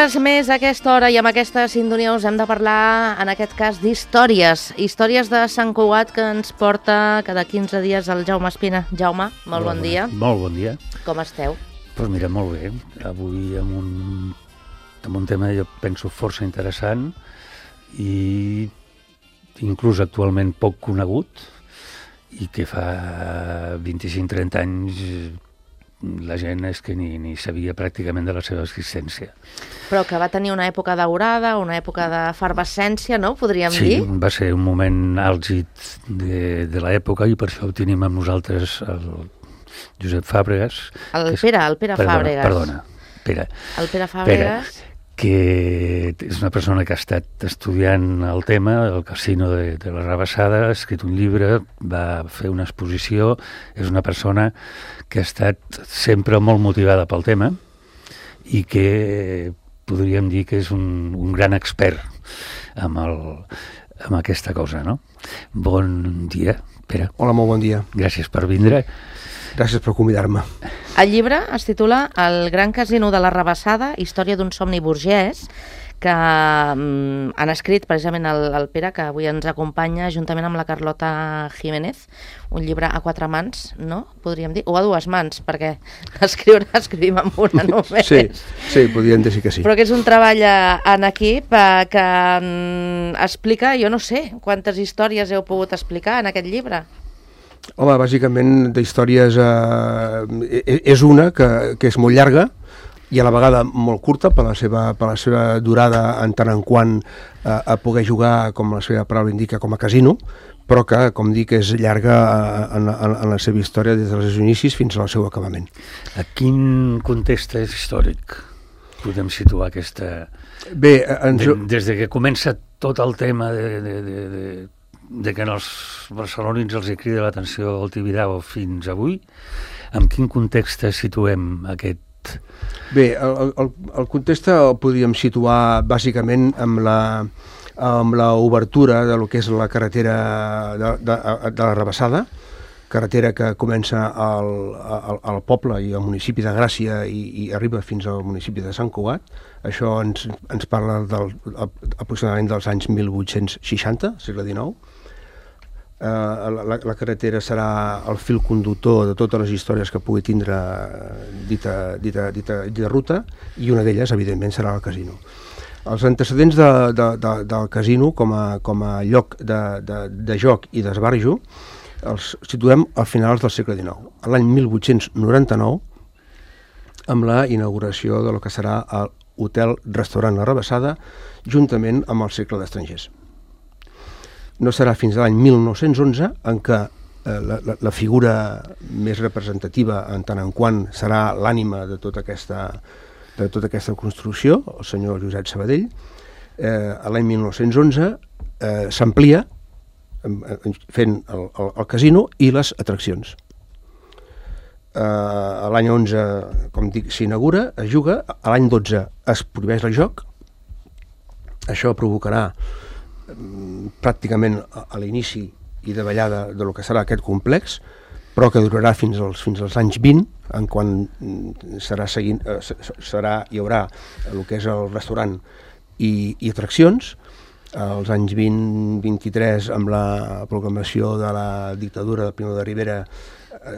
vegades més a aquesta hora i amb aquesta sintonia us hem de parlar, en aquest cas, d'històries. Històries de Sant Cugat que ens porta cada 15 dies el Jaume Espina. Jaume, molt bon dia. Molt bon dia. Com esteu? Doncs mira, molt bé. Avui amb un tema, jo penso, força interessant i inclús actualment poc conegut i que fa 25-30 anys la gent és que ni sabia pràcticament de la seva existència. Però que va tenir una època daurada, una època d'efervescència, no? Podríem dir? Sí, va ser un moment àlgid de l'època i per això ho tenim amb nosaltres el Josep Fàbregas. El Pere Fàbregas. Perdona, Pere. El Pere Fàbregas. Que és una persona que ha estat estudiant el tema, el casino de la Rabassada, ha escrit un llibre, va fer una exposició, és una persona que ha estat sempre molt motivada pel tema i que podríem dir que és un gran expert amb aquesta cosa, no? Bon dia, Pere. Hola, molt bon dia. Gràcies per vindre. Gràcies per convidar-me. El llibre es titula El gran casino de la Rabassada, història d'un somni burgès, que han escrit precisament el Pere, que avui ens acompanya, juntament amb la Carlota Jiménez, un llibre a 4 mans, no? Podríem dir, o a 2 mans, perquè escrivim amb una només. Sí, podríem dir que sí. Però que és un treball en equip que explica, jo no sé, quantes històries heu pogut explicar en aquest llibre. Home, bàsicament d'històries és una que és molt llarga i a la vegada molt curta per la seva durada en tant en quant a poder jugar, com la seva paraula indica, com a casino, però que, com dic, és llarga en la seva història des dels inicis fins al seu acabament. A quin context històric podem situar aquesta... Bé, des de que comença tot el tema de que els barcelonins els hi crida l'atenció al Tibidabo fins avui, en quin context situem aquest? Bé, el context el podríem situar bàsicament amb la obertura de lo que és la carretera de la Rabassada, carretera que comença al poble i al municipi de Gràcia i arriba fins al municipi de Sant Cugat. Això ens parla aproximadament dels anys 1860, segle XIX. La carretera serà el fil conductor de totes les històries que pugui tindre dita ruta, i una d'elles, evidentment, serà el casino. Els antecedents del casino com a lloc de joc i d'esbarjo els situem a finals del segle XIX, l'any 1899, amb la inauguració del que serà l'hotel-restaurant La Rabassada, juntament amb el Cercle d'Estrangers. No serà fins a l'any 1911 en què la figura més representativa, en tant en quant serà l'ànima de tota aquesta construcció, el senyor Josep Sabadell, l'any 1911 s'amplia fent el casino i les atraccions. L'any 11, com dic, s'inaugura, es juga, l'any 12 es prohibeix el joc. Això provocarà pràcticament a l'inici i de ballada de lo que serà aquest complex, però que durarà fins als anys 20, en quan hi haurà el que és el restaurant i atraccions. Als anys 20-23, amb la proclamació de la dictadura de Primo de Rivera,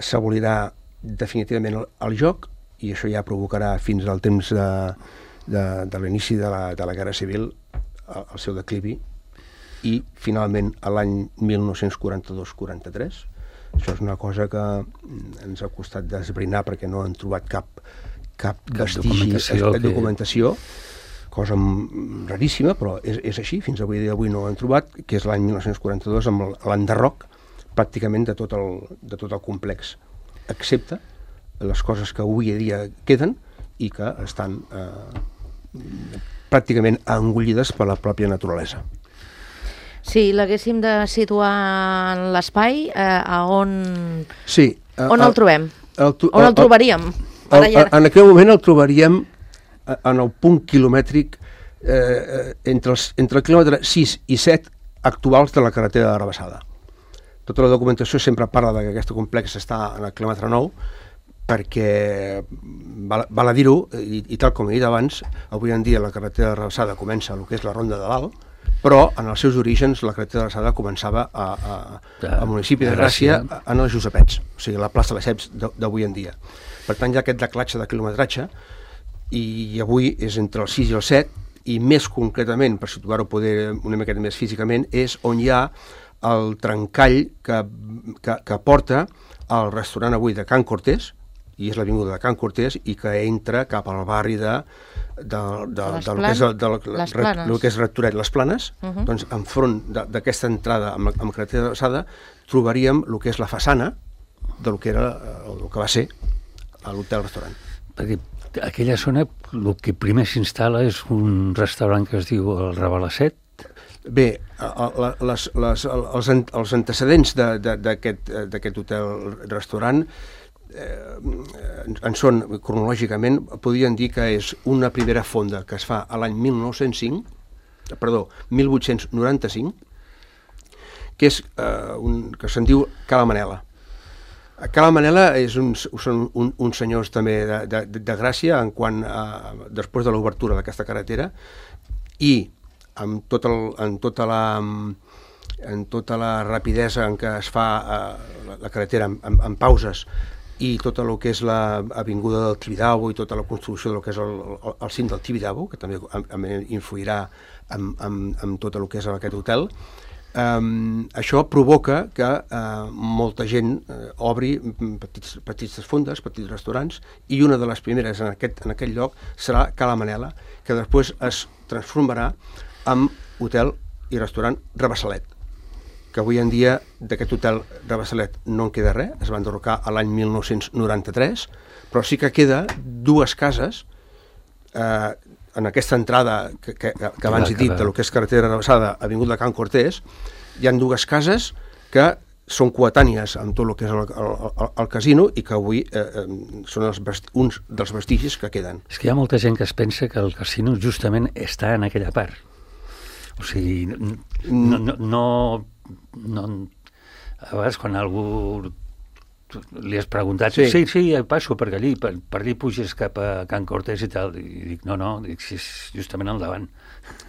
s'abolirà definitivament el joc, i això ja provocarà fins al temps de l'inici de la Guerra Civil el seu declivi, i finalment a l'any 1942-43. Això és una cosa que ens ha costat d'esbrinar perquè no han trobat cap vestigi de documentació, cosa raríssima, però és així, fins avui dia no ho han trobat, que és l'any 1942 amb l'enderroc pràcticament de tot el complex, excepte les coses que avui dia queden i que estan pràcticament engollides per la pròpia naturalesa. Si l'haguéssim de situar en l'espai, on el trobem? On el trobaríem? En aquell moment el trobaríem en el punt quilomètric entre el quilòmetre 6 i 7 actuals de la carretera de la Rabassada. Tota la documentació sempre parla que aquest complex està en el quilòmetre 9, perquè val a dir-ho, i tal com he dit abans, avui en dia la carretera de Rabassada comença el que és la Ronda de Dalt, però en els seus orígens la carretera de Rabassada començava al municipi de Gràcia, en els Josepets, o sigui, la plaça de Lesseps d'avui en dia. Per tant, hi ha aquest declatge de quilometratge, i avui és entre el 6 i el 7, i més concretament, per situar-ho poder una miqueta més físicament, és on hi ha el trencall que porta al restaurant avui de Can Cortés, i és l'avinguda de Can Cortés, i que entra cap al barri de lo que és Rectoret, les Planes. Doncs enfront d'aquesta entrada amb carretera de Rabassada trobaríem el que és la façana del que era el que va ser l'hotel-restaurant. Perquè aquella zona, el que primer s'instal·la és un restaurant que es diu el Rabalasset. Bé, els antecedents d'aquest hotel-restaurant en són, cronològicament, podríem dir que és una primera fonda que es fa a l'any 1895, que se'n diu Cala Manela. Cala Manela són uns senyors també de Gràcia després de l'obertura d'aquesta carretera, i amb tota la rapidesa en què es fa la carretera en pauses, i tot el que és l'avinguda del Tibidabo i tota la construcció del que és el cim del Tibidabo, que també influirà en tot el que és aquest hotel, això provoca que molta gent obri petites fondes, petits restaurants, i una de les primeres en aquest lloc serà Cala Manela, que després es transformarà en hotel i restaurant Rabassalet, que avui en dia d'aquest hotel Rabassalet no en queda res, es va enderrocar a l'any 1993, però sí que queda dues cases en aquesta entrada que abans he dit, del que és carretera Rabassada, avinguda de Can Cortés. Hi ha dues cases que són coetànies amb tot el que és el casino, i que avui són uns dels vestigis que queden. És que hi ha molta gent que es pensa que el casino justament està en aquella part. O sigui, no a vegades quan algú li has preguntat, sí, passo per allí, per allí puges cap a Can Cortés i tal, i dic, no, és justament al davant.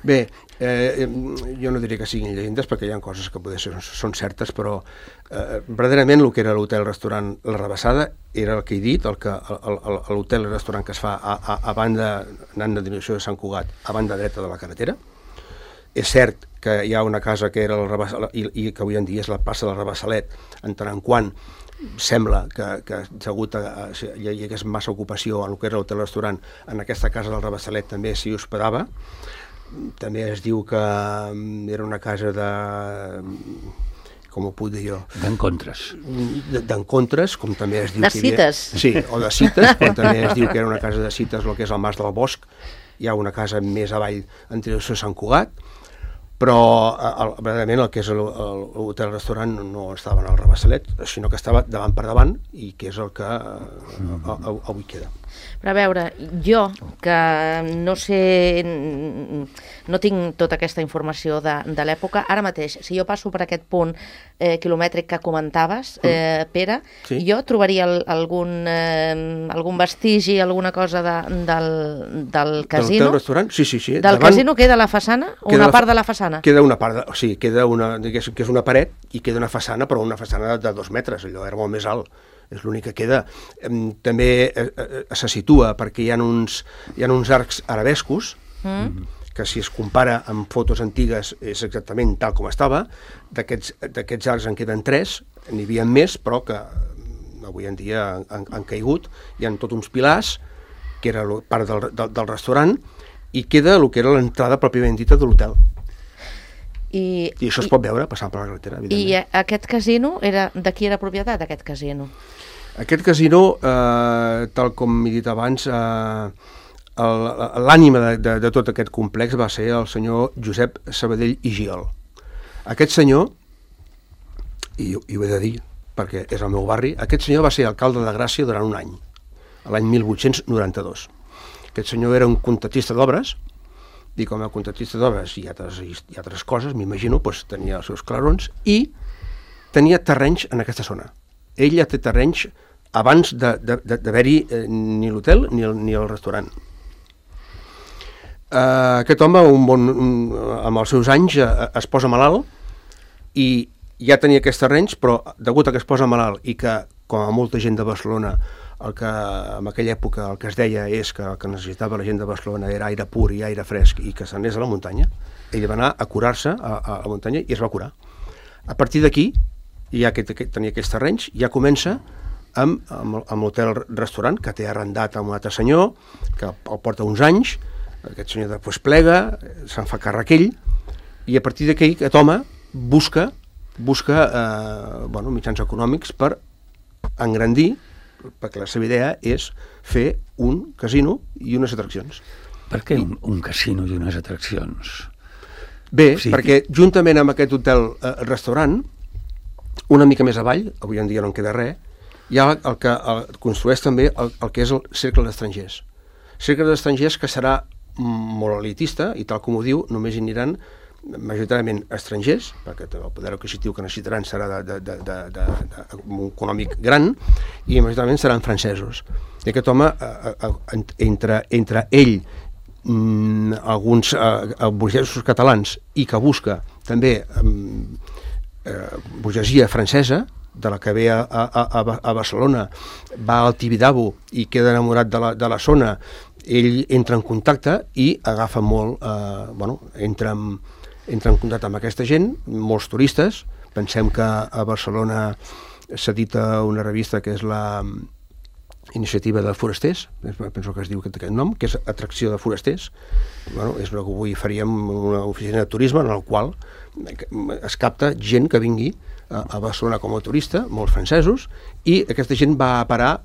Bé, jo no diré que siguin llegendes, perquè hi ha coses que potser són certes, però verdaderament el que era l'hotel-restaurant La Rabassada era el que he dit, l'hotel-restaurant que es fa a banda, anant de direcció de Sant Cugat, a banda dreta de la carretera. És cert que hi ha una casa que era el Rabassalet, i que avui en dia és la plaça del Rabassalet, en tant en quant sembla que hi hagués massa ocupació en el que era l'hotel-restaurant, en aquesta casa del Rabassalet també s'hi hospedava. També es diu que era una casa com ho puc dir jo? D'encontres. D'encontres, com també es diu... De cites. Sí, o de cites, com també es diu que era una casa de cites, el que és el Mas del Bosc. Hi ha una casa més avall en direcció a Sant Cugat, però verdaderament el que és l'hotel-restaurant no estava en el Rabassalet, sinó que estava davant per davant, i que és el que avui queda. Però a veure, jo, que no sé, no tinc tota aquesta informació de l'època, ara mateix, si jo passo per aquest punt quilomètric que comentaves, Pere, jo trobaria algun vestigi, alguna cosa del casino? Del restaurant? Sí. Del casino queda la façana? Una part de la façana? Queda una part, o sigui, queda que és una paret, i queda una façana, però una façana de 2 metres, allò era molt més alt. És l'únic que queda. També se situa perquè hi ha uns arcs arabescos, que si es compara amb fotos antigues és exactament tal com estava. D'aquests arcs en queden 3, n'hi havia més, però que avui en dia han caigut. Hi ha tots uns pilars, que era part del restaurant, i queda el que era l'entrada pròpiament dita de l'hotel. I això es pot veure passant per la carretera, evidentment. I aquest casino, de qui era propietat, aquest casino? Aquest casino, tal com he dit abans, l'ànima de tot aquest complex va ser el senyor Josep Sabadell i Giol. Aquest senyor, i ho he de dir perquè és el meu barri, aquest senyor va ser alcalde de Gràcia durant un any, l'any 1892. Aquest senyor era un contractista d'obres, i com a contractista d'obres i altres coses, m'imagino, tenia els seus clarons, i tenia terrenys en aquesta zona. Ell ja té terrenys abans d'haver-hi ni l'hotel ni el restaurant. Aquest home, amb els seus anys, es posa malalt i ja tenia aquests terrenys, però degut a que es posa malalt i que, com a molta gent de Barcelona, en aquella època el que es deia és que el que necessitava la gent de Barcelona era aire pur i aire fresc i que s'anés a la muntanya, ell va anar a curar-se a la muntanya i es va curar. A partir d'aquí, ja que tenia aquests terrenys, ja comença amb l'hotel-restaurant que té arrendat amb un altre senyor, que el porta uns anys, aquest senyor després plega, se'n fa càrrec ell, i a partir d'aquí aquest home busca mitjans econòmics per engrandir, perquè la seva idea és fer un casino i unes atraccions. Per què un casino i unes atraccions? Bé, perquè juntament amb aquest hotel-restaurant, una mica més avall, avui en dia no en queda res, hi ha el que construeix també el que és el Cercle d'Estrangers. Cercle d'Estrangers que serà molt elitista i tal com ho diu, només hi aniran majoritàriament estrangers, perquè el poder adquisitiu que necessitaran serà econòmic gran, i majoritàriament seran francesos. I aquest home, entre ell, alguns burgesos catalans, i que busca també burgesia francesa, de la que ve a Barcelona, va al Tibidabo i queda enamorat de la zona, ell entra en contacte i agafa molt, entra en contacte amb aquesta gent, molts turistes. Pensem que a Barcelona s'edita una revista que és la Iniciativa de Forasters, penso que es diu aquest nom, que és Atracció de Forasters. És el que avui faríem una oficina de turisme en la qual es capta gent que vingui a Barcelona com a turista, molts francesos, i aquesta gent va a parar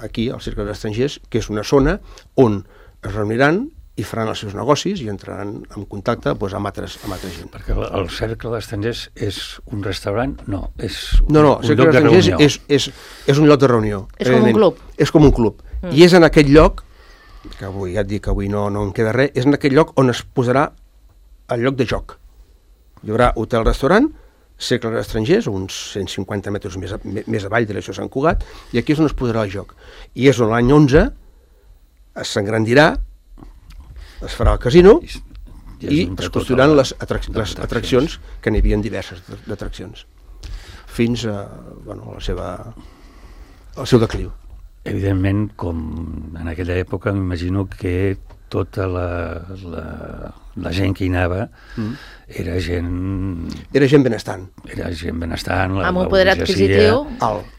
aquí, al Cercle d'Estrangers, que és una zona on es reuniran i faran els seus negocis i entraran en contacte amb altra gent. Perquè el Cercle d'Estrangers és un restaurant? No, és un lloc de reunió. És un lloc de reunió. És com un club. És com un club. I és en aquest lloc, que avui ja et dic que avui no en queda res, és en aquest lloc on es posarà el lloc de joc. Hi haurà hotel-restaurant, Cercle d'Estrangers, uns 150 metres més avall de l'Això Sant Cugat, i aquí és on es posarà el joc. I és on l'any 11 s'engrandirà, es farà el casino i es construiran les atraccions, que n'hi havia diverses d'atraccions, fins al seu decliu. Evidentment, com en aquella època, m'imagino que tota la gent que hi anava era gent... Era gent benestant. Amb un poder adquisitiu?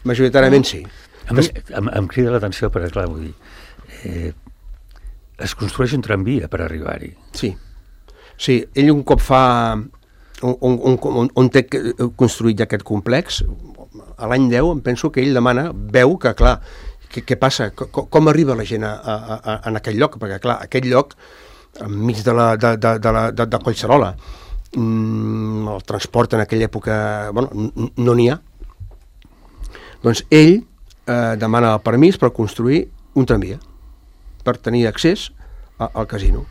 Majoritàriament sí. Em crida l'atenció, perquè clar, vull dir... Es construeix un tramvia per arribar-hi. Sí, ell un cop fa... on té construït ja aquest complex, a l'any 10 em penso que ell veu que, clar, què passa? Com arriba la gent en aquell lloc? Perquè, clar, aquest lloc, enmig de Collserola, el transport en aquella època, no n'hi ha. Doncs ell demana el permís per construir un tramvia, per tenir accés al casino.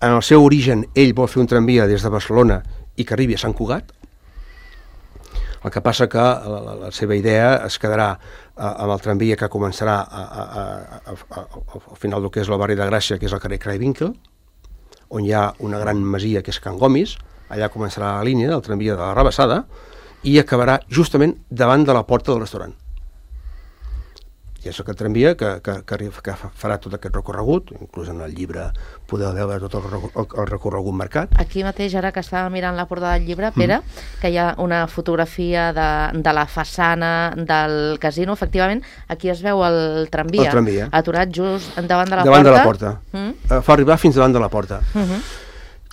En el seu origen, ell vol fer un tramvia des de Barcelona i que arribi a Sant Cugat. El que passa que la seva idea es quedarà amb el tramvia que començarà al final del que és el barri de Gràcia, que és el carrer Craywinckel, on hi ha una gran masia que és Can Gomis. Allà començarà la línia del tramvia de la Rabassada i acabarà justament davant de la porta del restaurant. I és aquest tramvia que farà tot aquest recorregut, inclús en el llibre podeu veure tot el recorregut marcat. Aquí mateix, ara que estava mirant la portada del llibre, Pere, que hi ha una fotografia de la façana del casino, efectivament, aquí es veu el tramvia, aturat just davant de la porta. Davant de la porta. Fa arribar fins davant de la porta.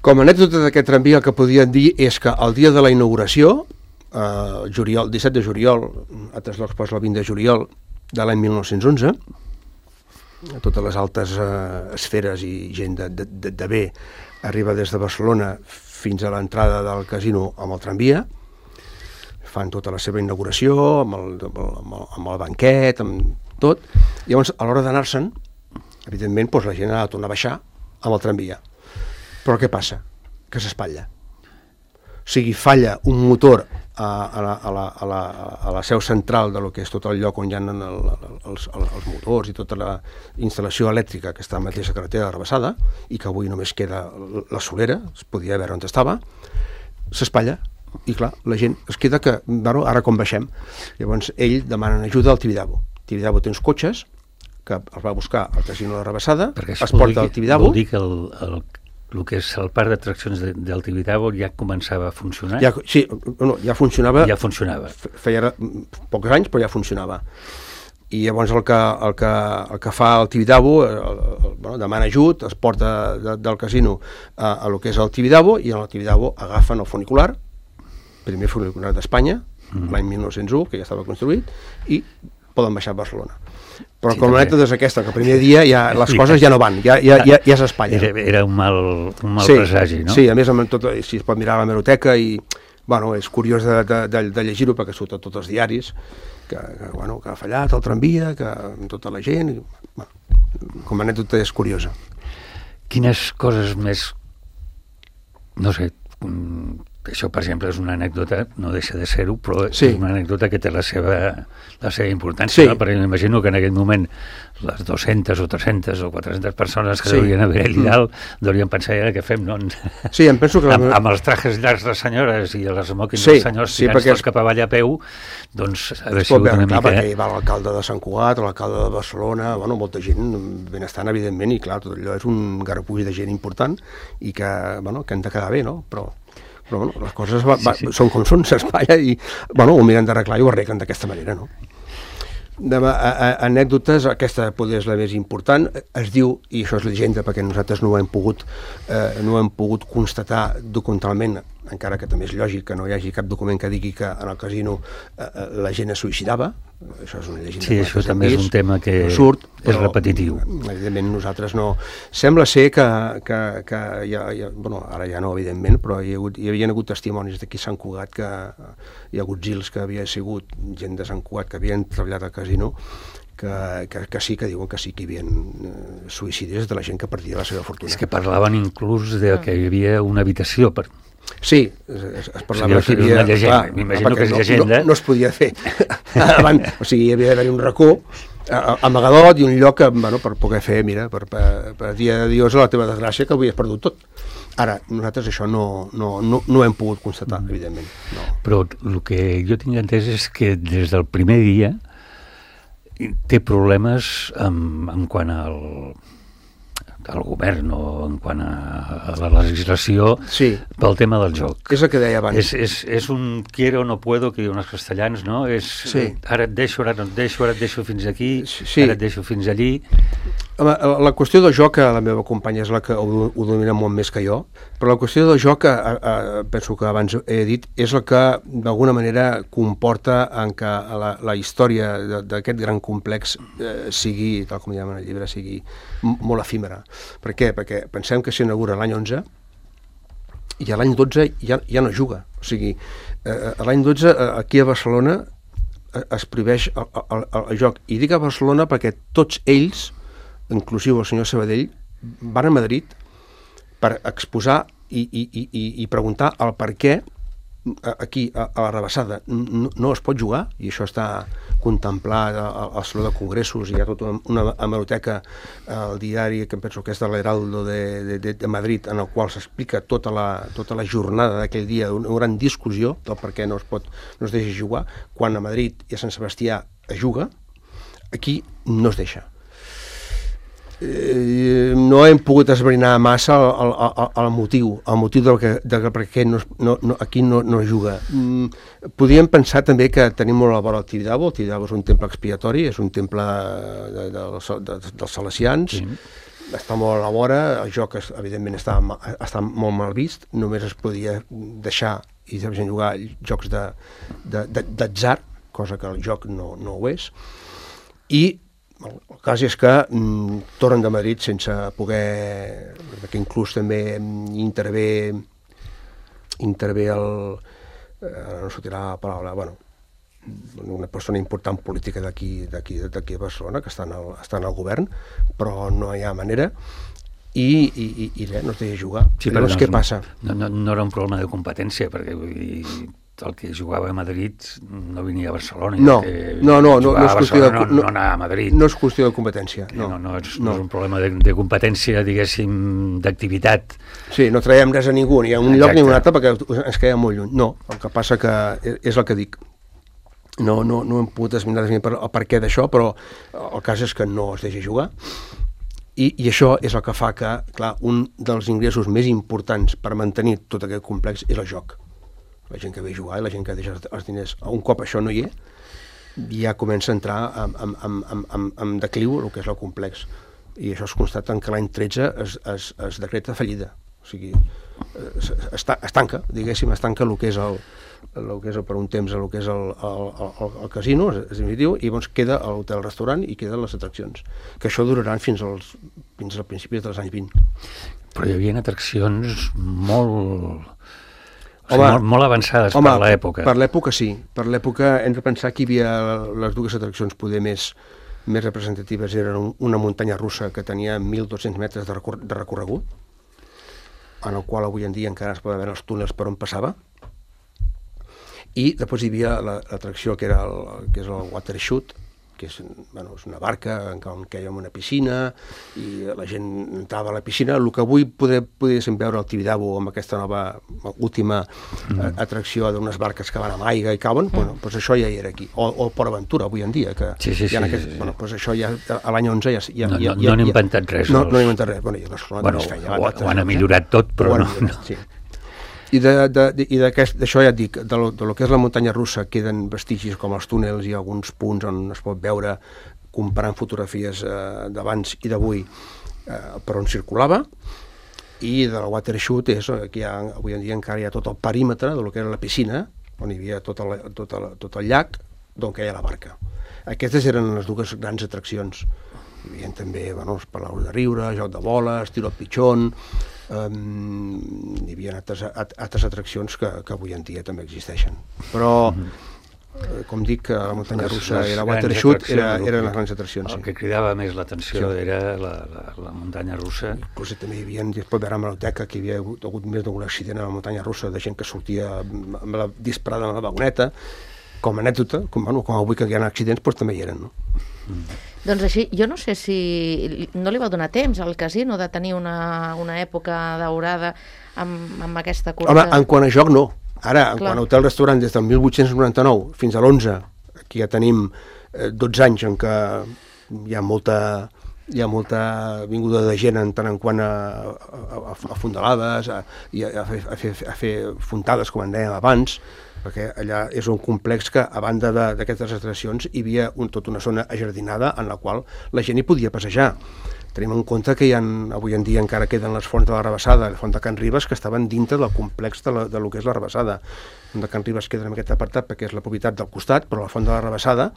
Com a anècdota d'aquest tramvia, el que podien dir és que el dia de la inauguració, el 17 de juliol, a altres llocs posa el 20 de juliol, de l'any 1911, totes les altes esferes i gent de bé arriba des de Barcelona fins a l'entrada del casino amb el tramvia, fan tota la seva inauguració amb el banquet, amb tot. Llavors, a l'hora d'anar-se'n, evidentment, la gent ha de tornar a baixar amb el tramvia. Però què passa? Que s'espatlla. O sigui, falla un motor a la seu central de lo que és tot el lloc on hi ha els motors i tota la instal·lació elèctrica que està a la mateixa carretera de Rabassada i que avui només queda la solera, es podia veure on estava, s'espatlla i clar, la gent es queda que, bueno, ara com baixem. Llavors ell demana ajuda al Tibidabo. Tibidabo té uns cotxes que els va buscar al casino de Rabassada, es porta al Tibidabo. Vol dir que el que és el parc d'atraccions del Tibidabo ja començava a funcionar? Ja funcionava. Ja funcionava. Feia pocs anys, però ja funcionava. I llavors el que fa el Tibidabo, demana ajut, es porta del casino a lo que és el Tibidabo, i en el Tibidabo agafen el funicular, primer funicular d'Espanya, l'any 1901, que ja estava construït, i poden baixar a Barcelona. Però com l'anècdota és aquesta, que el primer dia les coses ja no van, ja s'espatllen. Era un mal presagi, no? Sí, a més, si es pot mirar a l'hemeroteca, i bueno, és curiós de llegir-ho perquè surt a tots els diaris, que ha fallat el tramvia, que amb tota la gent, com a anècdota és curiosa. Quines coses més, no sé, això, per exemple, és una anècdota, no deixa de ser-ho, però és una anècdota que té la seva importància, no? Perquè m'imagino que en aquell moment les 200 o 300 o 400 persones que devien haver allà dalt deurien pensar, ara què fem, no? Sí, em penso que... Amb els trajes llargs de les senyores i les smokings dels senyors tirant tots cap avall a peu, doncs ha de ser una mica... Perquè hi va l'alcalde de Sant Cugat, l'alcalde de Barcelona, molta gent benestant, evidentment, i clar, tot allò és un garbuix de gent important i que han de quedar bé, no? Però les coses són com són, s'espatlla i ho miren d'arreglar i ho arreglen d'aquesta manera, no? Anècdotes, aquesta potser és la més important, es diu, i això és llegenda perquè nosaltres no ho hem pogut constatar documentalment, encara que també és lògic que no hi hagi cap document que digui que en el casino la gent es suïcidava, això és una llegenda. Sí, això també és un tema que és repetitiu. Evidentment nosaltres no... Sembla ser que ara ja no, evidentment, però hi havia hagut testimonis d'aquí a Sant Cugat, que hi ha hagut gils que havia sigut gent de Sant Cugat que havien treballat al casino, que sí, que diuen que sí que hi havia suïcidis de la gent que perdia la seva fortuna. És que parlaven inclús de que hi havia una habitació per... Sí, es parlava que hi havia... M'imagino que és llegenda. No es podia fer. O sigui, hi havia d'haver un racó amagadot i un lloc per poder fer, mira, per dir adiós a la teva desgràcia, que avui has perdut tot. Ara, nosaltres això no hem pogut constatar, evidentment. No. Però el que jo tinc entès és que des del primer dia té problemes en quant al govern o en quant a la legislació pel tema del joc. És el que deia abans. És un quiero o no puedo, que diuen els castellans, no? Ara et deixo, ara no et deixo, ara et deixo fins aquí, ara et deixo fins allí. La qüestió del joc, la meva companya és la que ho domina molt més que jo, però la qüestió del joc, penso que abans he dit, és la que d'alguna manera comporta en què la història d'aquest gran complex sigui, tal com diem en el llibre, sigui molt efímera. Per què? Perquè pensem que s'inaugura l'any 11 i a l'any 12 ja no juga. O sigui, l'any 12 aquí a Barcelona es prohibeix el joc. I dic a Barcelona perquè tots ells, inclusiu el senyor Sabadell, van a Madrid per exposar i preguntar el per què aquí a la Rabassada no es pot jugar, i això està contemplat al Saló de Congressos, i hi ha tota una hemeroteca al diari que em penso que és de l'Heraldo de Madrid, en el qual s'explica tota la jornada d'aquell dia, una gran discussió del per què no es deixa jugar, quan a Madrid i a Sant Sebastià es juga, aquí no es deixa. No hem pogut esbrinar massa el motiu de per què aquí no juga. Podríem pensar també que tenim molt a vora el Tibidabo. El Tibidabo és un temple expiatori, és un temple dels salesians, està molt a la vora, el joc evidentment està molt mal vist, només es podia deixar i deixar jugar jocs d'atzar, cosa que el joc no ho és, i el cas és que tornen de Madrid sense poder, perquè inclús també intervé no sortirà la paraula, una persona important política d'aquí a Barcelona, que està en el govern, però no hi ha manera, i res, no es deixa jugar. Sí, llavors què passa? No era un problema de competència, perquè vull dir, el que jugava a Madrid no venia a Barcelona. No és qüestió no anava a Madrid. No és qüestió de competència. No és un problema de competència, diguéssim, d'activitat. Sí, no traiem res a ningú, ni a un lloc ni a un altre, perquè ens quedem molt lluny. No, el que passa que és el que dic. No hem pogut esminar el per què d'això, però el cas és que no es deixa jugar. I això és el que fa que, clar, un dels ingressos més importants per mantenir tot aquest complex és el joc. La gent que ve a jugar i la gent que deixa els diners. Un cop això no hi és, ja comença a entrar en decliu el que és el complex. I això es constata que l'any 13 es decreta fallida. O sigui, es tanca, diguéssim, es tanca el que és per un temps el que és el casino, és definitiu, i llavors queda l'hotel-restaurant i queden les atraccions, que això duraran fins als principis dels anys 20. Però hi havia atraccions molt avançades per l'època. Per l'època sí, per l'època hem de pensar que hi havia les dues atraccions poder més representatives, eren una muntanya russa que tenia 1.200 metres de recorregut, en el qual avui en dia encara es poden veure els túnels per on passava, i després hi havia l'atracció que és el water shoot, que és una barca en què hi ha una piscina i la gent entrava a la piscina. El que avui podríem veure al Tibidabo amb aquesta nova última atracció d'unes barques que van amb aigua i cauen, doncs això ja hi era aquí. O el Port Aventura avui en dia, que doncs això ja a l'any 11 ja no han inventat res. No han inventat res. Ho han millorat tot, però no. I d'això ja et dic, de lo que és la muntanya russa queden vestigis com els túnels i alguns punts on es pot veure, comparant fotografies d'abans i d'avui, per on circulava, i de la water shoot és que avui en dia encara hi ha tot el perímetre de lo que era la piscina, on hi havia tot el llac, d'on queia la barca. Aquestes eren les dues grans atraccions. Hi havia també, es parlava de riure, joc de boles, tiro al pitxón, hi havia altres atraccions que avui en dia també existeixen. Però, com dic, la muntanya russa i la water shoot eren les grans atraccions. El que cridava més l'atenció era la muntanya russa. Inclús també hi havia, es pot veure a l'hemeroteca, que hi havia hagut més d'un accident a la muntanya russa de gent que sortia disparada amb la vagoneta. Com a anècdota, com avui que hi ha accidents, doncs també hi eren, no? Doncs així, jo no sé si no li va donar temps al casino de tenir una època daurada amb aquesta cursa. Home, en quant a joc no. Ara, en quant a hotel-restaurant, des del 1899 fins a l'11, aquí ja tenim 12 anys en què hi ha molta vinguda de gent en tant en quant a fondalades, a fer fontades, com en dèiem abans, perquè allà és un complex que, a banda d'aquestes atraccions, hi havia tota una zona ajardinada en la qual la gent hi podia passejar. Tenim en compte que avui en dia encara queden les fonts de la Rabassada, la font de Can Ribes, que estaven dintre del complex de lo que és la Rabassada. La font de Can Ribes queda en aquest apartat perquè és la propietat del costat, però la font de la Rabassada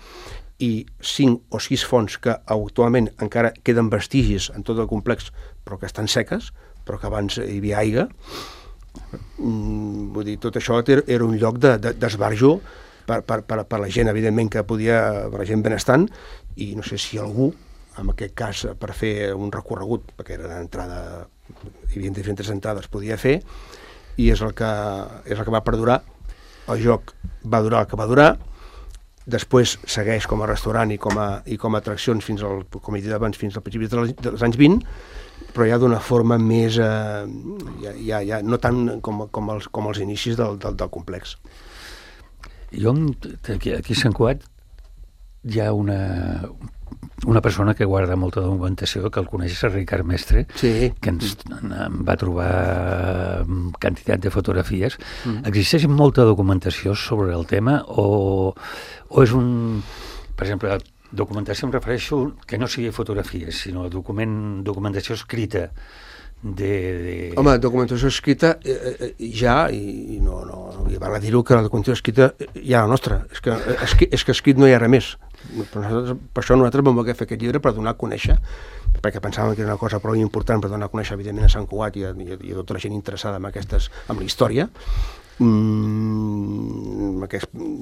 i 5 o 6 fonts que actualment encara queden vestigis en tot el complex, però que estan seques, però que abans hi havia aigua. Vull dir, tot això era un lloc d'esbarjo per la gent, evidentment, per la gent benestant, i no sé si algú, en aquest cas, per fer un recorregut, perquè era d'entrada, hi havia diferents entrades, podia fer, i és el que va perdurar. El joc va durar el que va durar, després segueix com a restaurant i com a atraccions fins al, com he dit abans, fins al principi dels anys 20, però ja d'una forma més, no tant com els inicis del complex. Aquí a Sant Cugat hi ha una persona que guarda molta documentació, que el coneix, és Ricard Mestre, sí, que ens va trobar quantitat de fotografies. Existeix molta documentació sobre el tema o és per exemple, documentació em refereixo que no sigui fotografies, sinó documentació escrita. Home, documentació escrita ja, i no val a dir-ho, que la documentació escrita hi ha la nostra, és que escrit no hi ha res més. Per això nosaltres vam voler fer aquest llibre, per donar a conèixer, perquè pensàvem que era una cosa prou important per donar a conèixer, evidentment, a Sant Cugat i a tota la gent interessada en la història.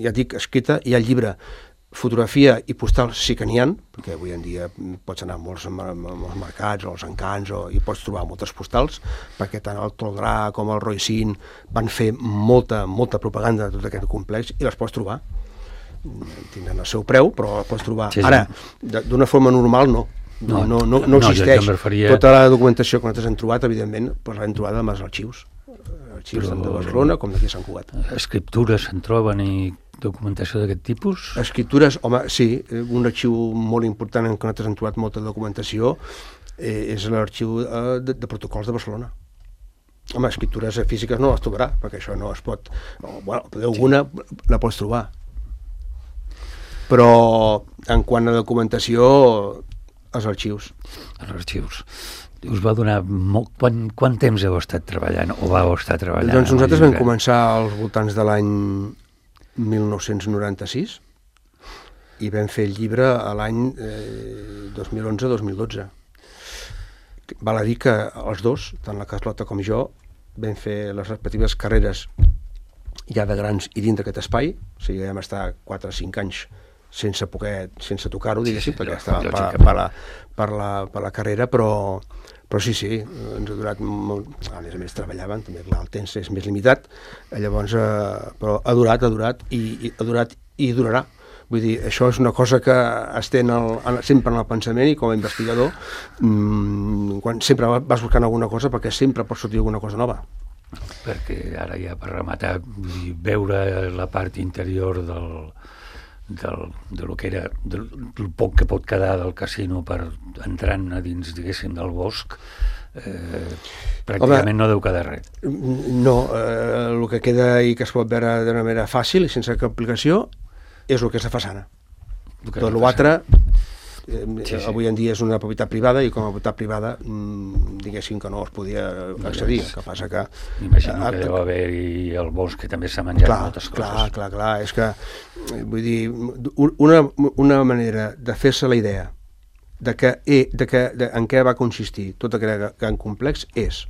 Ja dic, escrita, hi ha el llibre fotografia i postals sí que n'hi ha, perquè avui en dia pots anar a molts mercats o als encants i pots trobar moltes postals, perquè tant el Toldrà com el Roicín van fer molta propaganda de tot aquest complex i les pots trobar. Tindran el seu preu, però les pots trobar. Sí. Ara, d'una forma normal no existeix. Tota la documentació que nosaltres hem trobat, evidentment, l'hem trobat amb els arxius tant de Barcelona com d'aquí a Sant Cugat. Escriptures se'n troben i documentació d'aquest tipus? Escriptures, home, sí, un arxiu molt important en què nosaltres hem trobat molta documentació és l'arxiu de protocols de Barcelona. Home, escriptures físiques no les trobarà, perquè això no es pot... alguna la pots trobar. Però en quant a documentació, els arxius. Els arxius. Us va donar... Quant temps heu estat treballant o vau estar treballant? Doncs nosaltres vam començar als voltants de l'any 1996 i vam fer el llibre a l'any 2011-2012. Val a dir que els dos, tant la Carlota com jo, vam fer les respectives carreres ja de grans i dins d'aquest espai, o sigui, vam estar 4 o 5 anys sense tocar-ho, diguéssim, perquè estava per la carrera, però sí, ens ha durat molt, a més treballaven, també clar, el temps és més limitat, llavors, però ha durat i durarà. Vull dir, això és una cosa que estén sempre en el pensament i com a investigador, quan sempre vas buscant alguna cosa perquè sempre pot sortir alguna cosa nova. Perquè ara ja per rematar, veure la part interior de lo que era del poc que pot quedar del casino per entrant a dins, diguéssim, del bosc, pràcticament no deu quedar res. No, el que queda i que es pot veure d'una manera fàcil i sense cap aplicació és el que és la façana. Tot l'altre avui en dia és una propietat privada i com a propietat privada diguéssim que no es podia accedir, que passa que... M'imagino que deu haver-hi el bosc que també s'ha menjat moltes coses. Clar, és que vull dir, una manera de fer-se la idea en què va consistir tot aquest gran complex és,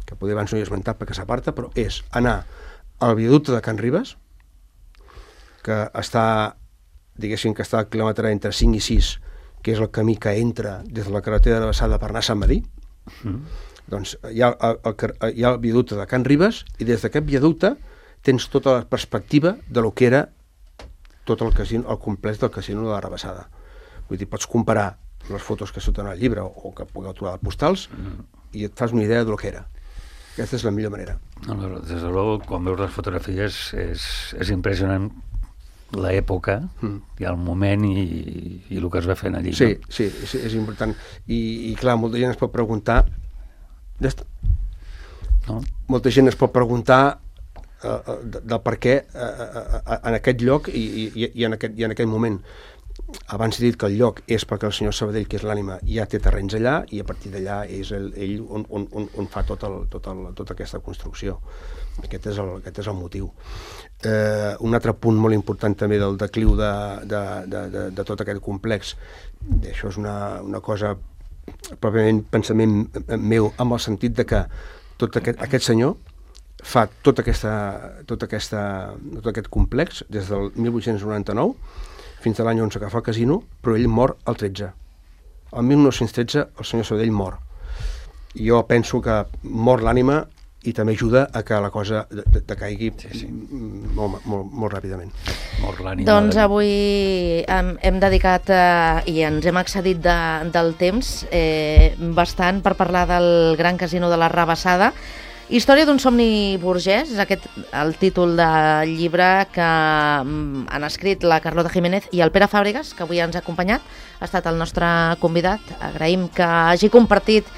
que potser abans no hi he esmentat perquè s'aparta, però és anar al viaducte de Can Ribes, que està, diguéssim que està al quilòmetre entre 5 i 6, que és el camí que entra des de la carretera de Bassada per anar a Sant Medir. Doncs hi ha el viaducte de Can Ribes i des d'aquest viaducte tens tota la perspectiva de lo que era tot el casino, el complex del casino de la Rabassada. Vull dir, pots comparar les fotos que surten al llibre o que pugueu trobar a postals i et fas una idea de lo que era. Aquesta és la millor manera. Des de luego, quan veus les fotografies és impressionant l'època i el moment i el que es va fent allí. Sí, és important. I clar, molta gent es pot preguntar molta gent es pot preguntar del per què en aquest lloc i en aquest moment. Abans he dit que el lloc és perquè el senyor Sabadell, que és l'ànima, ja té terrenys allà i a partir d'allà és ell on fa tota aquesta construcció. Aquest és el motiu. Un altre punt molt important també del decliu de tot aquest complex, això és una cosa pròpiament pensament meu, amb el sentit de que tot aquest senyor fa tot aquest complex des del 1899 fins a l'any 11 que fa el casino, però ell mor el 13. El 1913 el senyor Sabadell mor. Jo penso que mor l'ànima i també ajuda a que la cosa decaigui molt ràpidament. Doncs avui hem dedicat i ens hem excedit del temps bastant per parlar del Gran Casino de la Rabassada. Història d'un somni burgès, és aquest el títol del llibre que han escrit la Carlota Jiménez i el Pere Fàbregas, que avui ens ha acompanyat, ha estat el nostre convidat. Agraïm que hagi compartit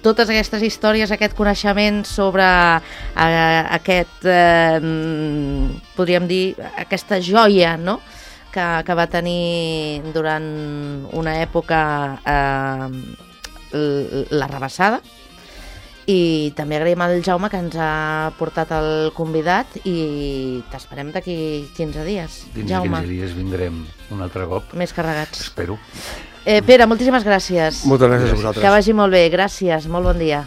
totes aquestes històries, aquest coneixement sobre aquest, podríem dir, aquesta joia, no?, que va tenir durant una època la Rabassada. I també agraïm al Jaume que ens ha portat el convidat i t'esperem d'aquí 15 dies. Jaume. 15 dies vindrem un altre cop. Més carregats. Espero. Pere, moltíssimes gràcies. Moltes gràcies a vosaltres. Que vagi molt bé, gràcies, molt bon dia.